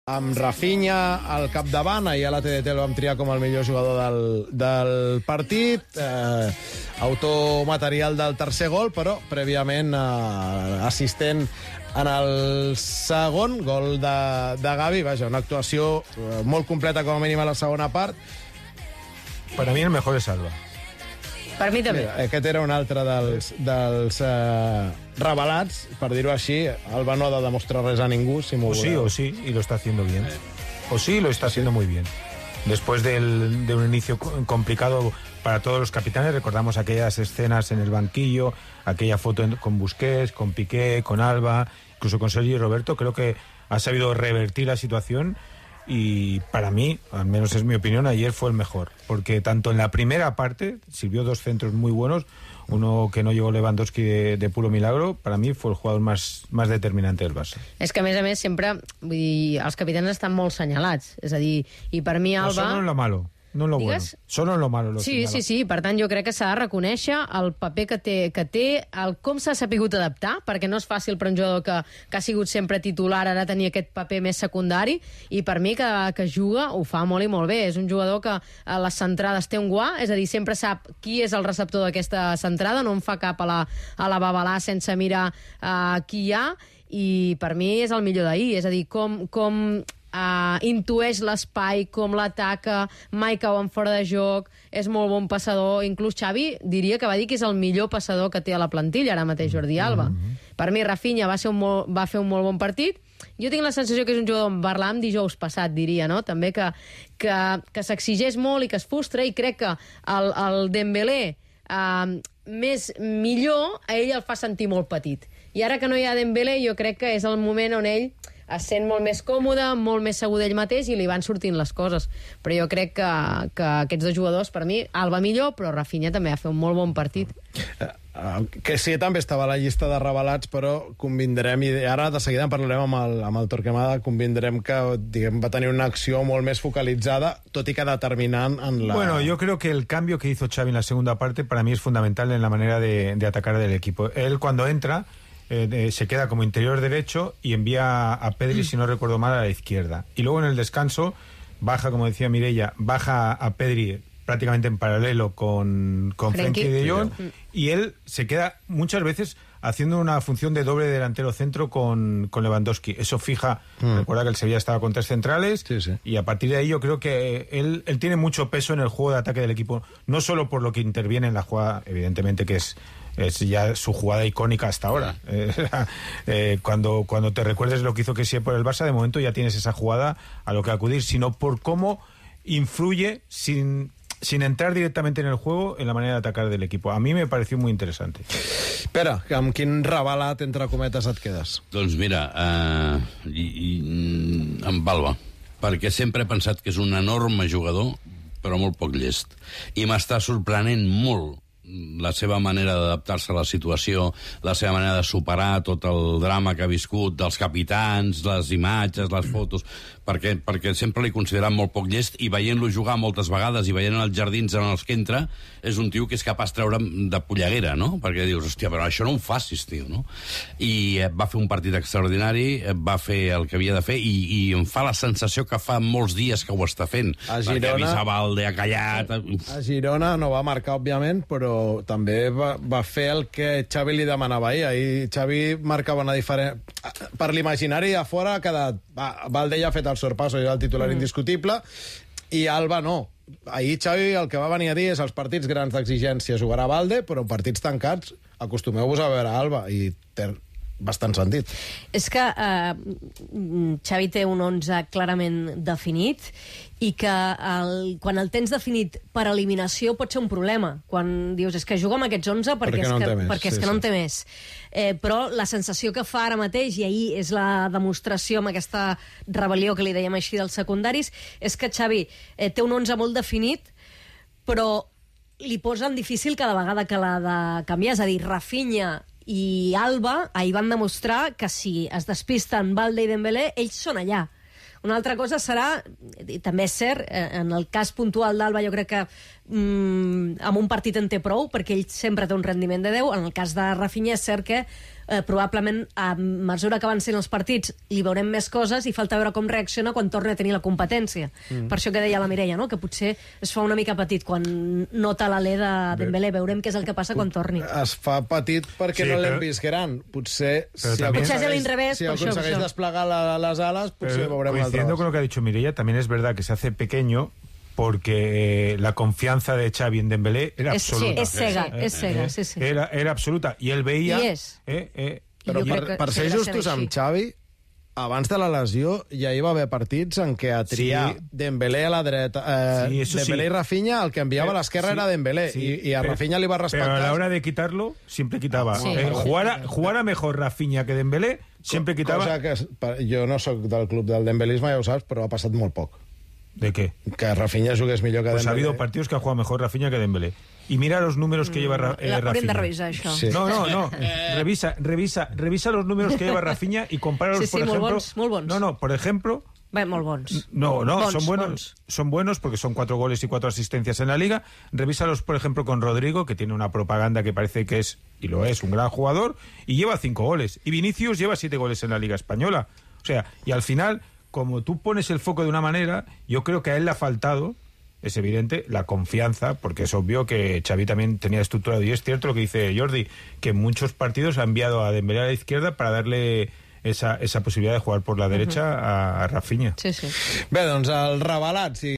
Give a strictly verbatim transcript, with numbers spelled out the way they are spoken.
amb Rafinha al capdavant. Ahir a la T D T el vam triar com el millor jugador del, del partit. Eh, autor material del tercer gol, però prèviament eh, assistent en el segon gol de, de Gavi. Vaja, una actuació eh, molt completa com a mínim a la segona part. Para mí el mejor es Alba. Per mi també. Mira, aquest era un altre dels, dels eh, revelats, per dir-ho així. Alba no ha de demostrar res a ningú, si m'ho O sí, o sí, y lo está haciendo bien. O sí, lo está haciendo muy bien. Después del, de un inicio complicado para todos los capitanes, recordamos aquellas escenas en el banquillo, aquella foto con Busquets, con Piqué, con Alba, incluso con Sergio y Roberto. Creo que ha sabido revertir la situación. Y para mí, al menos es mi opinión, ayer fue el mejor. Porque tanto en la primera parte, sirvió dos centros muy buenos, uno que no llegó Lewandowski de, de puro milagro, para mí fue el jugador más, más determinante del Barça. És que, a més a més, sempre vull dir, els capitans estan molt senyalats. És a dir, i per mi Alba... No, solo en lo malo, no en lo Digues? bueno. Solo en lo malo lo Sí, señala. sí, sí. Per tant, jo crec que s'ha de reconèixer el paper que té, que té el com s'ha sapigut adaptar, perquè no és fàcil per un jugador que, que ha sigut sempre titular, ara tenir aquest paper més secundari, i per mi que, que juga ho fa molt i molt bé. És un jugador que a les centrades té un guà, és a dir, sempre sap qui és el receptor d'aquesta centrada, no en fa cap a la, a la babalà sense mirar uh, qui hi ha, i per mi és el millor d'ahir. És a dir, com... com Uh, intueix l'espai, com l'ataca, mai cau en fora de joc, és molt bon passador. Inclús Xavi diria que va dir que és el millor passador que té a la plantilla ara mateix Jordi Alba. Mm-hmm. Per mi Rafinha va, ser un molt, va fer un molt bon partit. Jo tinc la sensació que és un jugador, en parlàvem dijous passat, diria, no? També que, que, que s'exigeix molt i que es frustra, i crec que el, el Dembélé uh, més millor, a ell el fa sentir molt petit. I ara que no hi ha Dembélé, jo crec que és el moment on ell es sent molt més còmode, molt més segur d'ell mateix, i li van sortint les coses. Però jo crec que, que aquests dos jugadors, per mi, Alba millor, però Rafinha també va fer un molt bon partit. Uh, uh, que sí, també estava a la llista de revelats, però convindrem, i ara de seguida en parlarem amb el, amb el Torquemada, convindrem que diguem, va tenir una acció molt més focalitzada, tot i que determinant en la... Bueno, yo creo que el cambio que hizo Xavi en la segunda parte para mí es fundamental en la manera de, de atacar del equipo. Él cuando entra... Eh, eh, se queda como interior derecho y envía a Pedri, si no recuerdo mal, a la izquierda. Y luego en el descanso baja, como decía Mireia, baja a Pedri prácticamente en paralelo con, con Frenkie de Jong, y él se queda muchas veces haciendo una función de doble delantero centro con, con Lewandowski. Eso fija, mm. recuerda que el Sevilla estaba con tres centrales, sí, sí. y a partir de ahí yo creo que él, él tiene mucho peso en el juego de ataque del equipo, no solo por lo que interviene en la jugada, evidentemente que es es ya su jugada icónica hasta ahora. Eh, eh, cuando, cuando te recuerdes lo que hizo Kessie por el Barça, de momento ya tienes esa jugada a lo que acudir, sino por cómo influye sin, sin entrar directamente en el juego en la manera de atacar del equipo. A mí me pareció muy interesante. Pere, amb quin revelat, entre cometes, et quedes? Doncs mira, uh, i, i, amb Alba, perquè sempre he pensat que és un enorme jugador, però molt poc llest. I m'està sorprenent molt la seva manera d'adaptar-se a la situació, la seva manera de superar tot el drama que ha viscut, dels capitans, les imatges, les fotos, perquè, perquè sempre l'he considerat molt poc llest, i veient-lo jugar moltes vegades i veient els jardins en els que entra, és un tio que és capaç de treure de polleguera, no? Perquè dius, hòstia, però això no ho facis, tio, no? I va fer un partit extraordinari, va fer el que havia de fer, i, i em fa la sensació que fa molts dies que ho està fent, a Girona, perquè Visabalde ha callat... A Girona no va marcar, òbviament, però també va, va fer el que Xavi li demanava ahir. Ahir Xavi marcava una diferència... Per l'imaginari a fora ha quedat... Va, Balde ja ha fet el sorpasso, era el titular mm. indiscutible, i Alba no. Ahir Xavi el que va venir a dir és els partits grans d'exigència jugarà Balde, però en partits tancats acostumeu-vos a veure Alba, i té bastant sentit. És que eh, Xavi té un onze clarament definit, i que el, quan el tens definit per eliminació pot ser un problema. Quan dius, és que juga amb aquests onze perquè, perquè, és, no que, més, perquè sí, és que sí. no en té més. Eh, però la sensació que fa ara mateix, i ahir és la demostració amb aquesta rebel·lió que li dèiem així dels secundaris, és que Xavi eh, té un onze molt definit, però li posen difícil cada vegada que l'ha de canviar. És a dir, Rafinha i Alba ahir van demostrar que si es despisten Balde i Dembélé, ells són allà. Una altra cosa serà, i també és cert, en el cas puntual d'Alba jo crec que mm, amb un partit en té prou, perquè ell sempre té un rendiment de deu. En el cas de Rafinha és cert que eh, probablement a mesura que avancin els partits li veurem més coses i falta veure com reacciona quan torna a tenir la competència. Mm. Per això que deia la Mireia, no? Que potser es fa una mica petit quan nota l'alè de Dembélé. Veurem què és el que passa quan torni. Es fa petit perquè Sí, no l'hem però- vist gran. Potser, Però si també- Potser és a l'inrevés, si per això, per aconsegueix això. desplegar la, les ales, potser Pero, veurem una altra coincidiendo con lo cosa. que ha dicho Mireia, también es verdad que se hace pequeño porque eh, la confianza de Xavi en Dembélé era És, sí, absoluta. és cega, Eh, és cega, eh, sí, sí. Era, era absoluta. I ell veia... I és. Eh, eh, Però jo per, crec que per ser seguirà sent justos amb així. Xavi, abans de la lesió ja hi va haver partits en què a triar Sí. Dembélé a la dreta, eh, Sí, eso Dembélé sí. i Rafinha, el que enviava a l'esquerra Sí, era Dembélé, sí, i, i a pero- Rafinha li va respectar. Pero a la hora de quitarlo, siempre quitaba. Sí. Eh, jugara, jugara mejor Rafinha que Dembélé, siempre quitaba... Cosa que per- jo no sóc del club del dembelisme, ja ho saps, però ha passat molt poc. ¿De qué? Que Rafinha jugués millor que Pues ha Dembélé. habido partidos que ha jugado mejor Rafinha que Dembélé. Y mira los números que lleva Ra- eh, La- Hauríem Rafinha. de revisar això. Sí. No, no, no. Revisa, revisa, revisa los números que lleva Rafinha y compáralos, Sí, sí, por molt ejemplo... bons, molt bons. No, no, por ejemplo... Bé, molt bons. No, no, Bons, son buenos, bons. son buenos porque son cuatro goles y cuatro asistencias en la liga. Revísalos, por ejemplo, con Rodrigo, que tiene una propaganda que parece que es, y lo es, un gran jugador, y lleva cinco goles. Y Vinicius lleva siete goles en la liga española. O sea, y al final, como tú pones el foco de una manera, yo creo que a él le ha faltado, es evidente, la confianza, porque es obvio que Xavi también tenía estructurado, y es cierto lo que dice Jordi, que en muchos partidos ha enviado a Dembélé a la izquierda para darle esa, esa posibilidad de jugar por la derecha a, a Rafinha. Sí, sí. Bé, doncs el revelat, si